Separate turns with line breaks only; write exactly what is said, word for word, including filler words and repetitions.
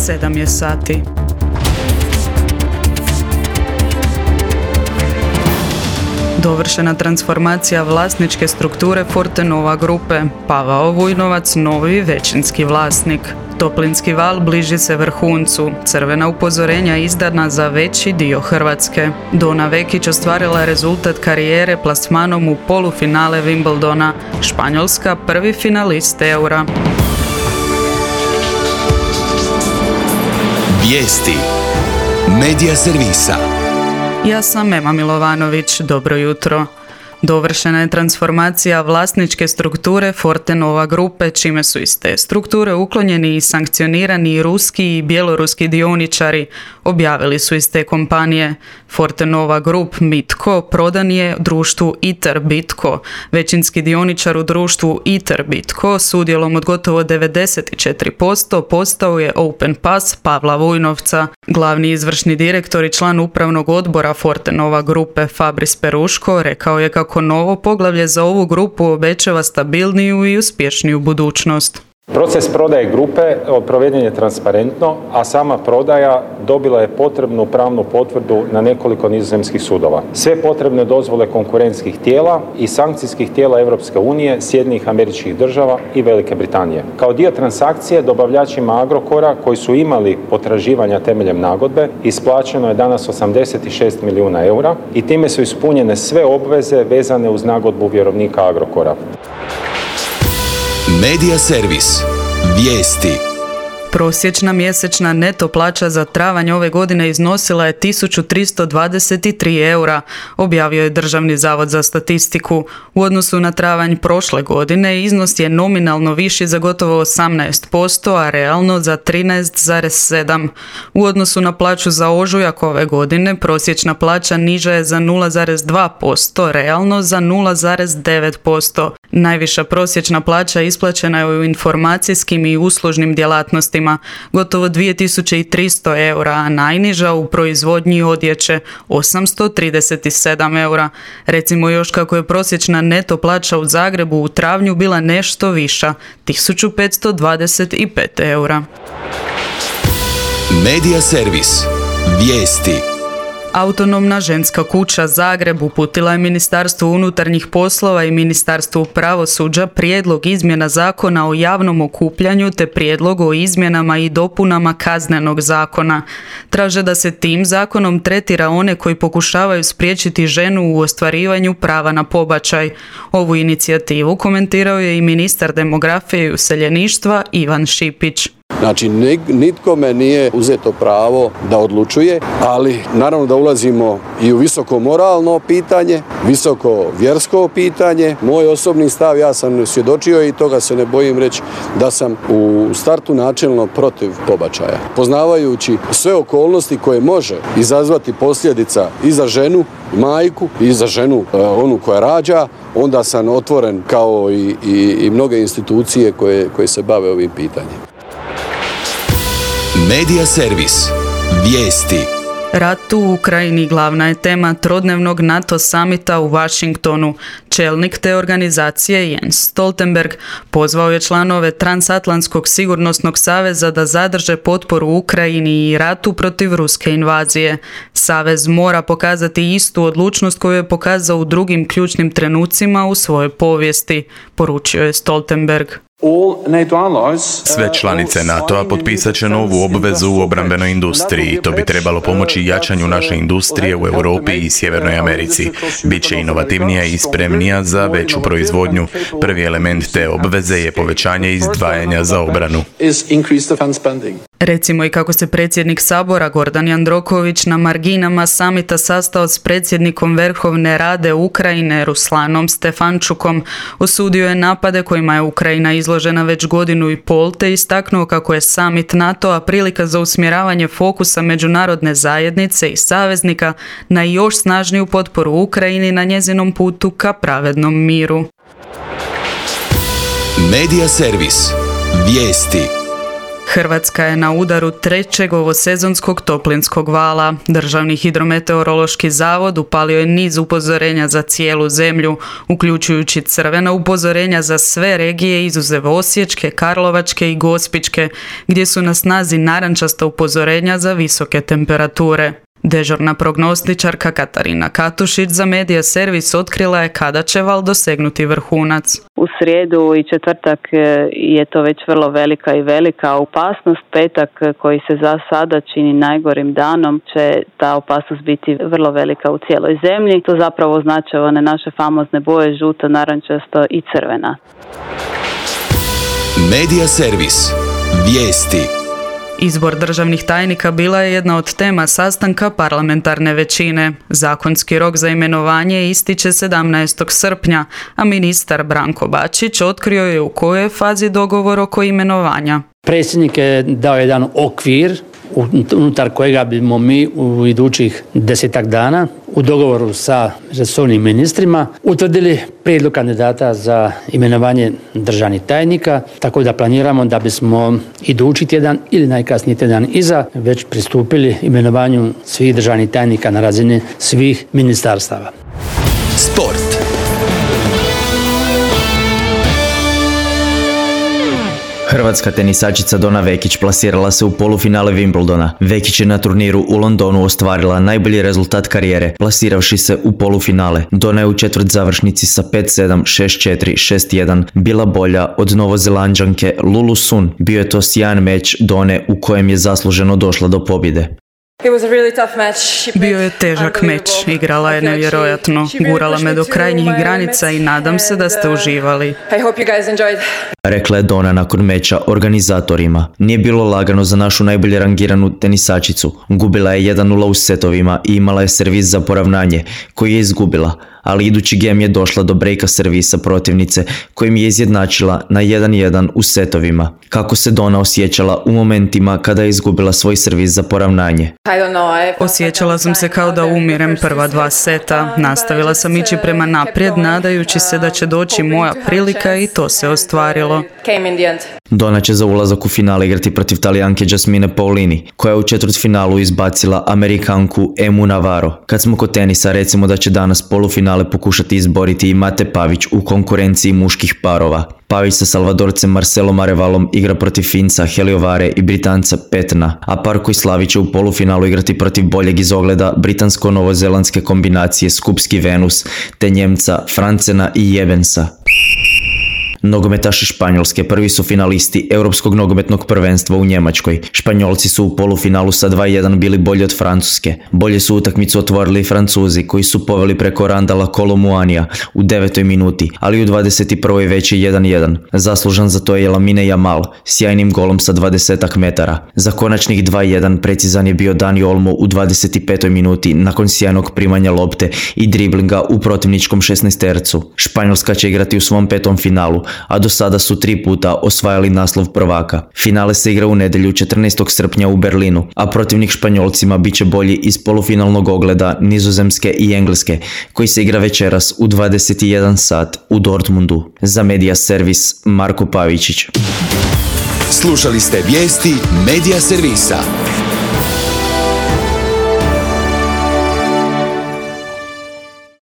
sedam je sati. Dovršena transformacija vlasničke strukture Fortenova grupe. Pavao Vujnovac novi većinski vlasnik. Toplinski val bliži se vrhuncu. Crvena upozorenja izdana za veći dio Hrvatske. Dona Vekić ostvarila rezultat karijere plasmanom u polufinale Wimbledona. Španjolska prvi finalist Eura.
Vijesti Medija servisa.
Ja sam Ema Milovanović, dobro jutro. Dovršena je transformacija vlasničke strukture Fortenova grupe, čime su iz te strukture uklonjeni i sankcionirani ruski i bjeloruski dioničari, objavili su iz te kompanije. Fortenova Grup Mitko prodan je društvu ITER Bitco. Većinski dioničar u društvu ITER Bitco s udjelom od gotovo devedeset četiri posto postao je Open Pass Pavla Vujnovca. Glavni izvršni direktor i član upravnog odbora Fortenova grupe Fabris Peruško rekao je kako novo poglavlje za ovu grupu obećava stabilniju i uspješniju budućnost.
Proces prodaje grupe proveden je transparentno, a sama prodaja dobila je potrebnu pravnu potvrdu na nekoliko nizozemskih sudova. Sve potrebne dozvole konkurentskih tijela i sankcijskih tijela Europske unije, Sjedinjenih Američkih Država i Velike Britanije. Kao dio transakcije dobavljačima Agrokora koji su imali potraživanja temeljem nagodbe isplaćeno je danas osamdeset šest milijuna eura i time su ispunjene sve obveze vezane uz nagodbu vjerovnika Agrokora.
Medija servis. Vijesti.
Prosječna mjesečna neto plaća za travanj ove godine iznosila je tisuću tristo dvadeset tri eura, objavio je Državni zavod za statistiku. U odnosu na travanj prošle godine iznos je nominalno viši za gotovo osamnaest posto, a realno za trinaest zarez sedam. U odnosu na plaću za ožujak ove godine prosječna plaća niža je za nula zarez dva posto, realno za nula zarez devet posto. Najviša prosječna plaća isplaćena je u informacijskim i uslužnim djelatnostima, gotovo dvije tisuće tristo eura, a najniža u proizvodnji odjeće, osamsto trideset sedam eura. Recimo još kako je prosječna neto plaća u Zagrebu u travnju bila nešto viša, tisuću petsto dvadeset pet eura.
Medija servis. Vijesti.
Autonomna ženska kuća Zagreb uputila je Ministarstvu unutarnjih poslova i Ministarstvu pravosuđa prijedlog izmjena zakona o javnom okupljanju te prijedlog o izmjenama i dopunama Kaznenog zakona. Traže da se tim zakonom tretira one koji pokušavaju spriječiti ženu u ostvarivanju prava na pobačaj. Ovu inicijativu komentirao je i ministar demografije i useljeništva Ivan Šipić.
Znači, nitkome nije uzeto pravo da odlučuje, ali naravno da ulazimo i u visoko moralno pitanje, visoko vjersko pitanje. Moj osobni stav, ja sam svjedočio i toga se ne bojim reći da sam u startu načelno protiv pobačaja. Poznavajući sve okolnosti koje može izazvati posljedica i za ženu, majku, i za ženu, onu koja rađa, onda sam otvoren kao i, i, i mnoge institucije koje, koje se bave ovim pitanjem.
Medija servis. Vijesti.
Rat u Ukrajini glavna je tema trodnevnog NATO samita u Washingtonu. Čelnik te organizacije Jens Stoltenberg pozvao je članove Transatlantskog sigurnosnog saveza da zadrže potporu Ukrajini i ratu protiv ruske invazije. Savez mora pokazati istu odlučnost koju je pokazao u drugim ključnim trenucima u svojoj povijesti, poručio je Stoltenberg.
Sve članice NATO-a potpisat će novu obvezu u obrambenoj industriji. To bi trebalo pomoći jačanju naše industrije u Europi i Sjevernoj Americi. Biće inovativnija i spremnija za veću proizvodnju. Prvi element te obveze je povećanje izdvajanja za obranu.
Recimo i kako se predsjednik Sabora Gordan Jandroković na marginama samita sastao s predsjednikom Verhovne Rade Ukrajine Ruslanom Stefančukom, osudio je napade kojima je Ukrajina izložena već godinu i pol te istaknuo kako je samit NATO-a prilika za usmjeravanje fokusa međunarodne zajednice i saveznika na još snažniju potporu Ukrajini na njezinom putu ka pravednom miru.
Medija servis. Vijesti.
Hrvatska je na udaru trećeg ovosezonskog toplinskog vala. Državni hidrometeorološki zavod upalio je niz upozorenja za cijelu zemlju, uključujući crvena upozorenja za sve regije izuzev Osječke, Karlovačke i Gospićke, gdje su na snazi narančasta upozorenja za visoke temperature. Dežurna prognostičarka Katarina Katušić za Medija Servis otkrila je kada će val dosegnuti vrhunac.
U srijedu i četvrtak je to već vrlo velika i velika opasnost. Petak koji se za sada čini najgorim danom će ta opasnost biti vrlo velika u cijeloj zemlji. To zapravo označava one naše famozne boje žuto, narančasto i crvena.
Medija Servis. Vijesti.
Izbor državnih tajnika bila je jedna od tema sastanka parlamentarne većine. Zakonski rok za imenovanje ističe sedamnaestog srpnja, a ministar Branko Bačić otkrio je u kojoj je fazi dogovor oko imenovanja.
Predsjednik je dao jedan okvir unutar kojega bimo mi u idućih desetak dana u dogovoru sa resornim ministrima utvrdili prijedlog kandidata za imenovanje državnih tajnika, tako da planiramo da bismo idući tjedan ili najkasniji tjedan iza već pristupili imenovanju svih državnih tajnika na razini svih ministarstava.
Sport.
Hrvatska tenisačica Dona Vekić plasirala se u polufinale Wimbledona. Vekić je na turniru u Londonu ostvarila najbolji rezultat karijere, plasiravši se u polufinale. Dona je u četvrt završnici sa pet sedam, šest četiri, šest jedan bila bolja od Novozelanđanke Lulu Sun. Bio je to sjajan meč Done u kojem je zasluženo došla do pobjede.
Bio je težak meč, igrala je nevjerojatno, gurala me do krajnjih granica i nadam se da ste uživali.
Rekla je Dona nakon meča organizatorima. Nije bilo lagano za našu najbolje rangiranu tenisačicu. Gubila je jedan nula u setovima i imala je servis za poravnanje, koji je izgubila, ali idući gem je došla do brejka servisa protivnice, kojim je izjednačila na jedan jedan u setovima. Kako se Dona osjećala u momentima kada je izgubila svoj servis za poravnanje?
Osjećala sam se kao da umirem prva dva seta. Nastavila sam ići prema naprijed, nadajući se da će doći moja prilika i to se ostvarilo.
Dona će za ulazak u finale igrati protiv Talijanke Jasmine Paolini, koja je u četvrtfinalu izbacila Amerikanku Emu Navarro. Kad smo kod tenisa, recimo da će danas polufinale pokušati izboriti i Mate Pavić u konkurenciji muških parova. Pavić sa Salvadorcem Marcelom Arevalom igra protiv Finca Heliovare i Britanca Petna, a par koji slavi će u polufinalu igrati protiv boljeg izogleda britansko-novozelandske kombinacije Skupski Venus te Njemca Francena i Jebensa. Nogometaši Španjolske prvi su finalisti Europskog nogometnog prvenstva u Njemačkoj. Španjolci su u polufinalu sa dva jedan bili bolji od Francuske. Bolje su utakmicu otvorili i Francuzi, koji su poveli preko Randala Kolomuanija u devetoj minuti, ali u dvadeset prvoj već je jedan jedan. Zaslužan za to je Lamine Yamal, sjajnim golom sa dvadeset metara. Za konačnih dva jedan precizan je bio Dani Olmo u dvadeset petoj minuti nakon sjajnog primanja lopte i driblinga u protivničkom šesnaestercu. Španjolska će igrati u svom petom finalu, a do sada su tri puta osvajali naslov prvaka. Finale se igra u nedjelju četrnaestog srpnja u Berlinu, a protivnik Španjolcima bit će bolji iz polufinalnog ogleda Nizozemske i Engleske, koji se igra večeras u dvadeset jedan sat u Dortmundu. Za Medija Servis, Marko Pavičić.
Slušali ste vijesti Medija Servisa.